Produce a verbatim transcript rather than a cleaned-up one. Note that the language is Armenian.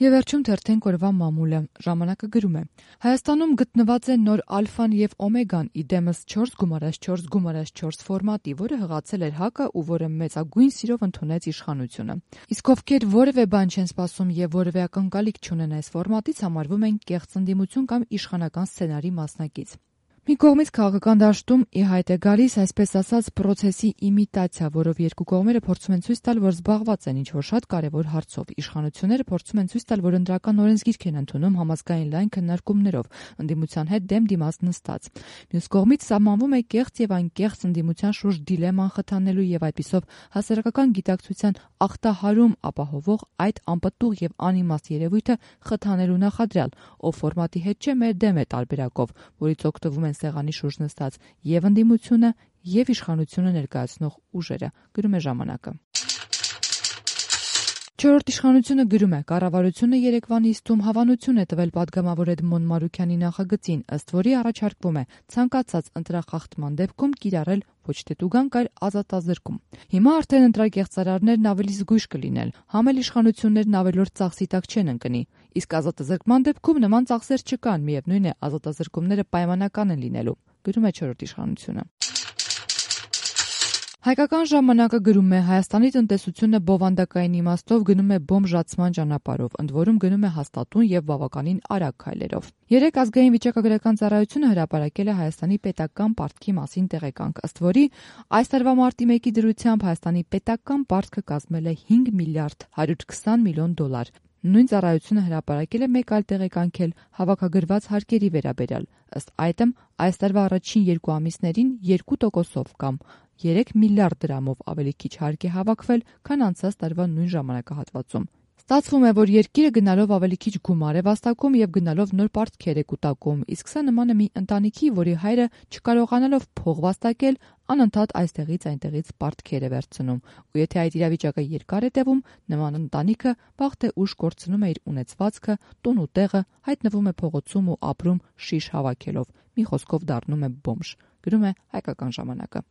Եվ վերջում թերթենք օրվա մամուլը, ժամանակը գրում է. Հայաստանում գտնված է նոր ալֆան և օմեգան, իդեմս չորս գումարած չորս գումարած չորս ֆորմատի, որը հղացել էր ՀԱԿ-ը ու որը մեծագույն սիրով ընդունեց իշխանությունը։ Իսկ ովքեր որևէ բան չեն սպասում և որևէ ակնկալիք չունեն այս ֆորմատից, համարվում են կեղծ ընդդիմություն կամ իշխանական սցենարի մասնակից։ Մի կողմից քաղաքական դաշտում ի հայտ է գալիս այսպես ասած պրոցեսի իմիտացիա, որով երկու կողմերը փորձում են ցույց տալ, որ զբաղված են ինչ-որ շատ կարևոր հարցով։ Իշխանությունները փորձում են ցույց տալ, որ ընտրական օրենսգիրք են ընդունում համազգային լայն քննարկումներով, ընդդիմության հետ դեմ դիմաց նստած։ Մյուս կողմից սահմանվում է կեղծ եւ անկեղծ ընդդիմության շուրջ դիլեման խթանելու եւ այդպիսով հասարակական գիտակցության ախտահարում ապահովող այդ անպտուղ եւ անիմաստ երևույթը խթանելու նախադրյալ, ով ֆորմատի հետ չէ, մեր դեմ է տարբերակով, որից օգտվում են սեղանի շուրջ նստած եւ ընդդիմությունը եւ իշխանությունը ներկայացնող ուժերը, գրում է ժամանակը։ Չորրորդ իշխանությունը գրում է. կառավարությունը երեկվա նիստում հավանություն է տվել պատգամավոր Էդմոն Մարուքյանի նախագծին, ըստ որի առաջարկվում է ցանկացած ընտրախախտման դեպքում կիրառել ոչ թե տուգանք, այլ ազատազրկում։ Հիմա արդեն ընտրակեղծարարներն ավելի զգույշ կլինեն, համ էլ իշխանություններն ավելորդ ծախսի տակ չեն ընկնի, իսկ ազատազրկման դեպքում նման ծախսեր չկան, միևնույն է ազատազրկումները պայմանական են լինելու, գրում է չորրորդ իշխանությունը։ Հայկական ժամանակը գրում է. Հայաստանի տնտեսությունը բովանդակային իմաստով գնում է բոմժացման ճանապարհով, ընդ որում գնում է հաստատուն եւ բավականին արագ քայլերով։ Երեկ ազգային վիճակագրական ծառայությունը հրապարակել է Հայաստանի պետական պարտքի մասին տեղեկանք, ըստ որի այս տարվա մարտի մեկի դրությամբ Հայաստանի պետական պարտքը կազմել է հինգ միլիարդ հարյուր քսան միլիոն դոլար։ Նույն ծառայությունը հրապարակել է մեկ այլ տեղեկանք էլ հավաքագրված հարկերի վերաբերյալ, ըստ այդմ այս տարվա առաջին երկու ամիսներին երկու տոկոսով կամ երեք միլիարդ դրամով ավելի քիչ հարկ է հավաքվել, քան անցած տարվա նույն ժամանակահատվածում։ Ստացվում է, որ երկիրը գնալով ավելի քիչ գումար է վաստակում եւ գնալով նոր պարտքեր է կուտակում, իսկ սա նման է մի ընտանիքի, որի հայրը չկարողանալով փող վաստակել, անընդհատ այստեղից այնտեղից պարտքեր է վերցնում, ու եթե այդ իրավիճակը երկար է տևում, նման ընտանիքը վաղ թե ուշ կորցնում է իր ունեցվածքը, տուն ու տեղը, հայտնվում է փողոցում ու ապրում շիշ հավաքելով, մի խոսքով դառնում է բոմժ, գրում է Հայկական ժամանակը։